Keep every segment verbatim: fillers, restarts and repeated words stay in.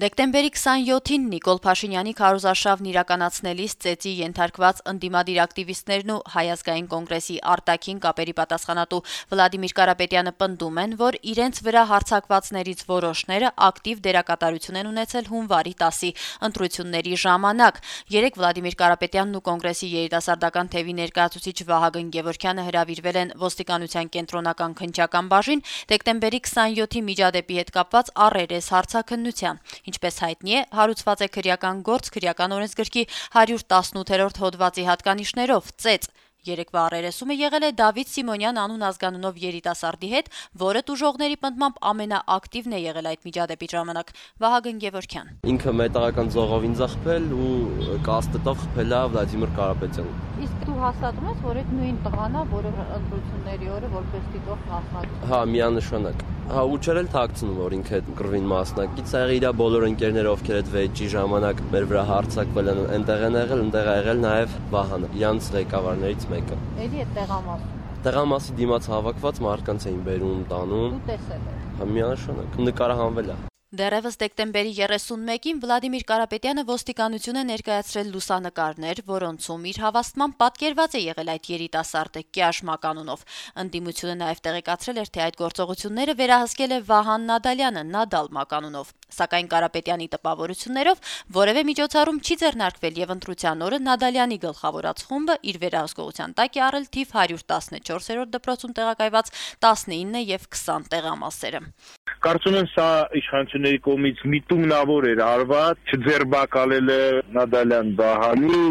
Դեկտեմբերի քսանյոթին Նիկոլ Փաշինյանի քարոզարշավն իրականացնելիս ծեծի ենթարկված ընդդիմադիր ակտիվիստներն ու Հայ ազգային կոնգրեսի արտաքին կապերի պատասխանատու Վլադիմիր Կարապետյանը պնդում են, որ իրենց վրա հարձակվածներից որոշները ակտիվ դերակատարություն են ունեցել հունվարի տասի ընտրությունների ժամանակ։ Երեկ Վլադիմիր Կարապետյանն ու կոնգրեսի երիտասարդական թևի ներկայացուցիչ Վահագն Գևորգյանը հրավիրվել են ոստիկանության կենտրոնական քննչական բաժին դեկտեմբերի քսանյոթի միջադեպի հետ կապված առերես հարցաքննության։ Ինչպես հայտնի է, հարուցված է քրեական գործ քրեական օրենսգրքի հարյուր տասնութերորդ հոդվածի հատկանիշներով ծեծ։ Երեկվա առերեսումը եղել է Դավիթ Սիմոնյան անուն ազգանունով երիտասարդի հետ, որը տուժողների պնդմամբ ամենաակտիվն է եղել այդ միջադեպի ժամանակ։ Վահագն Գևորգյան. Ինքը մետաղական ձողով ինձ խփել ու կաստետով խփել է Վլադիմիր Կարապետյանին։ Իսկ դու հաստատում ես, որ այդ նույն տղան է, որը ընտրությունների օրը որպես դիտող մասնակից։ Հա, միանշանակ։ Հա, ու չերել թաքցնում, որ ինքը գրվին մասնակից եղել իր բոլոր ընկերները, ովքեր այդ վեճի ժամանակ մեր վրա հարձակվել են, այնտեղ են եղել, այնտեղ է եղել նաև Վահանը, իրանց ղեկավարներից մեկը։ Էլի է տեղամասում։ Տեղամասի դիմաց հավաքված մարդկանց էին բերում, տանում։ Ու տեսել է։ Հա, միանշանակ, նկարահանվել է։ Դեռևս դեկտեմբերի երեսունմեկին Վլադիմիր Կարապետյանը ոստիկանություն է ներկայացրել լուսանկարներ, որոնցում իր հավաստմամբ պատկերված է եղել այդ երիտասարդը Կյաշմա կանունով։ Ընդդիմությունը նաև տեղեկացրել էր, թե այդ գործողությունները վերահսկել է Վահան Նադալյանը Նադալ մականունով։ Սակայն Կարապետյանի տպավորություններով որևէ միջոցառում չի ձեռնարկվել եւ ընտրության օրը Նադալյանի գլխավորած խումբը իր վերահսկողության տակ է առել թիվ հարյուր տասնչորսերորդ դպրոցում տեղակայված տասնինը եւ քսան տեղամասերը։ Կարծում եմ սա իշխանությունների կողմից միտումնավոր էր արված, չձերբակալել է Նադալյան Վահանի,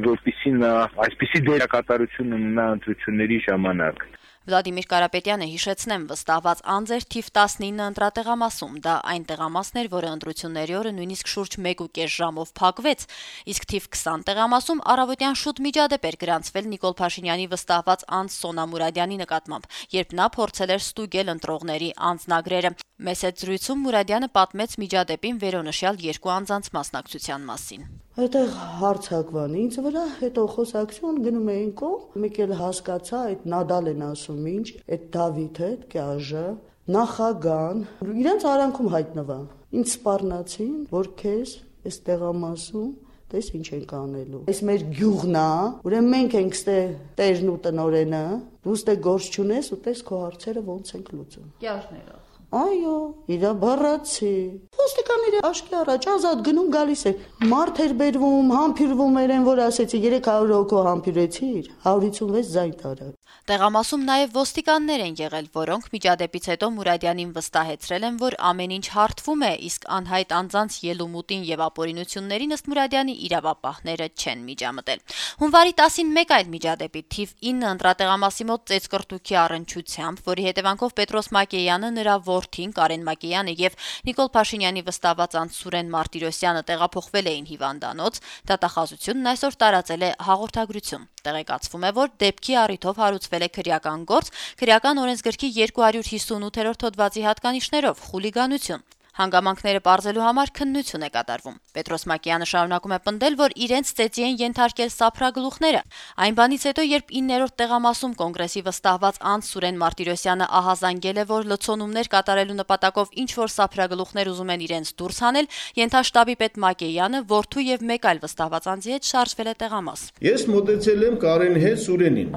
որպեսզի նա այսպիսի դերակատարություն ունենա ընտրությունների ժամանակ։ Վլադիմիր Կարապետյանը հիշեցնեմ վստահված անձ էր թիվ տասնինը ընտրատեղամասում, դա այն տեղամասն էր, որը ընտրությունների օրը նույնիսկ շուրջ մեկ ու կես ժամով փակվեց, իսկ թիվ քսան տեղամասում առավոտյան շուտ միջադեպ էր գրանցվել Նիկոլ Փաշինյանի վստահված անձ Սոնա Մուրադյանի նկատմամբ, երբ նա փորձել էր ստուգել ընտրողների անձնագրերը։ Մեծ հետ զրույցում Մուրադյանը պատմեց միջադեպին վերոնշյալ երկու անձանց մասնակցության մասին։ Այդտեղ հարցակվան ինձ վրա, հետո խոսակցություն գնում էին կողմ, մեկ էլ հասկացա, այդ Նադալ են ասում ինչ, այդ Դավիթը, այդ Կյաժը, նախագահան, իրենց արանքում հայտնվա։ Ինձ սպառնացին, որ քեզ այս տեղամասում տես ինչ ենք անելու։ Այս մեր գյուղն է, ուրեմն մենք ենք ստե տերն ու տնորենը, դու ստե գործ չունես ու տես քո հարցերը ոնց ենք լուծում։ Կյաժները։ Այո, իրա բառացի։ Ոստիկանները աշկի առաջ ազատ գնում գալիս է։ Մարդ էր բերվում, համբյուրվում էր են, որ ասեցի երեք հարյուր հոգու համբյուրեցիր, հարյուր հիսունվեց ձայն տարա։ Տեղամասում նաև ոստիկաններ են եղել, որոնք միջադեպից հետո Մուրադյանին վստահեցրել են, որ ամեն ինչ հարթվում է, իսկ անհայտ անձանց ելումուտին եւ ապօրինություններին ըստ Մուրադյանի իրավապահները չեն միջամտել։ Հունվարի տասին մեկ այլ միջադեպի թիվ ինը ընտրատեղամասի մոտ ծեծկրտուքի առնչությամբ, որի հետևանքով Պետրոս Մակեյանը, նրա որդին Կարեն Մակեյանը եւ Նիկոլ Փաշինյանի վստահված անձ Սուրեն Մարտիրոսյանը տեղափոխվել էին հիվանդանոց, դատախազությունն այսօր տարածել է հաղորդագրություն։ Տեղեկացվում է, որ դեպքի առիթով հարուցվել է քրեական գործ քրեական օրենսգրքի երկու հարյուր հիսունութերորդ հոդվածի հատկանիշներով խուլիգանություն։ Հանգամանքները պարզելու համար քննություն է կատարվում։ Պետրոս Մակեյանը շարունակում է պնդել, որ իրենց ծեծի են ենթարկել սափրագլուխները։ Այն բանից հետո, երբ իններորդ տեղամասում կոնգրեսի վստահված անձ Սուրեն Մարտիրոսյանը ահազանգել է, որ լցոնումներ կատարելու նպատակով ինչ որ սափրագլուխներ ուզում են իրենց դուրս հանել, ենթաշտաբի պետ Մակեյանը որդու եւ մեկ այլ վստահված անձի հետ շարժվել է տեղամաս։ Ես մոտեցել եմ Կարենի հետ Սուրենին։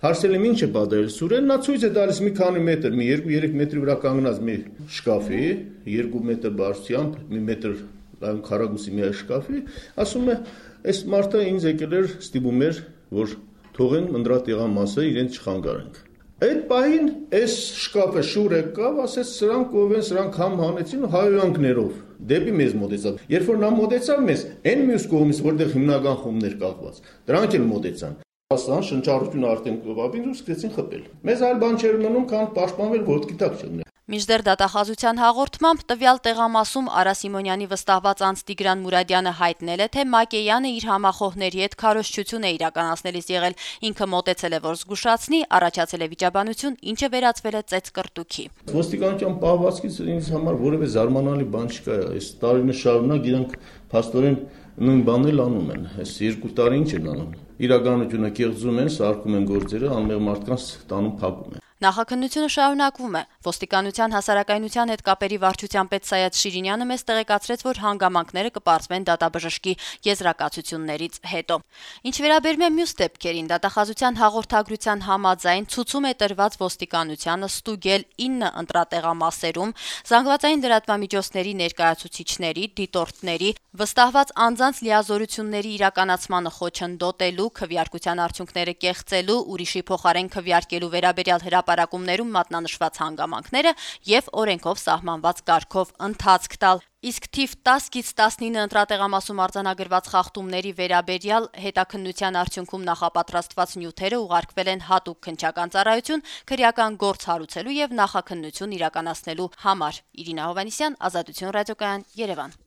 Հարցել եմ ինչ է պատահել Սուրեն, նա ցույց է տալիս մի քանի մետր, մի երկու երեք մետրի վրա կանգնած մի շկաֆի, երկու մետր բարձրությամբ, մի մետր քառակուսի մի շկաֆի, ասում է, այս մարդը ինձ եկել էր ստիպում էր, որ թողեն ընտրատեղամասը իրենց չխանգարենք։ Այդ պահին այս շկաֆը շուր եկավ, ասեց սրանք ով են, սրանք համ հանեցին հայհոյանքներով դեպի մեզ մոտեցավ։ Երբ որ նա մոտեցավ մեզ, այն մյուս կողմից, որտեղ հիմնական խումբներ կախված, դրանք էլ մոտեցան։ Ասան շնչառությունը արդեն կողապին ու սկսեցին խփել։ Մեզ այլ բան չէր մնում, քան պաշտպանվել ոտքի տակ չընկնել։ Մինչդեռ դատախազության հաղորդմամբ տվյալ տեղամասում Արա Սիմոնյանի վստահված անձ Տիգրան Մուրադյանը հայտնել է, թե Մակեյանը իր համախոհների հետ քարոզչություն է իրականացնելիս եղել, ինքը մոտեցել է, որ զգուշացնի, առաջացել է վիճաբանություն, ինչը վերածվել է ծեծկրտուքի։ Ոստիկանության պահվածքից ինձ համար որևէ զարմանալի բան չկա, այս տարիներ շարունակ իրանք փաստորեն նույն բանն էլ անում են, այս երկու տարի ինչ են անում։ Իրականությունը կեղծում են, սարքում են գործերը, անմեղ մարդկանց տանում փակում են։ Նախաքննությունը շարունակվում է։ Ոստիկանության հասարակայնության հետ կապերի վարչության պետ Սայաթ Շիրինյանը մեզ տեղեկացրեց, որ հանգամանքները կպարզվեն դատաբժշկի եզրակացություններից հետո։ Ինչ վերաբերում է մյուս դեպքերին, դատախազության հաղորդագրության համաձայն ցուցում է տրված ոստիկանությանը ստուգել ինը ընտրատեղամասերում զանգվածային լրատվամիջոցների ներկայացուցիչների, դիտորդների, վստահված անձանց լիազորությունների իրականացմանը խոչընդոտելու, քվեարկության արդյունքները կեղծելու, ուրիշի փոխարեն քվեարկելու վերաբերյալ հրապարակումներում մատնանշված հանգամանքները եւ օրենքով սահմանված կարգով ընթացք տալ։ Իսկ թիվ տասից տասնինը ընտրատեղամասում արձանագրված խախտումների վերաբերյալ հետաքննության արդյունքում նախապատրաստված նյութերը ուղարկվել են հատուկ քննչական ծառայություն քրեական գործ հարուցելու եւ նախաքննություն իրականացնելու համար։ Իրինա Հովհաննիսյան, Ազատություն ռադիոկայան, Երևան։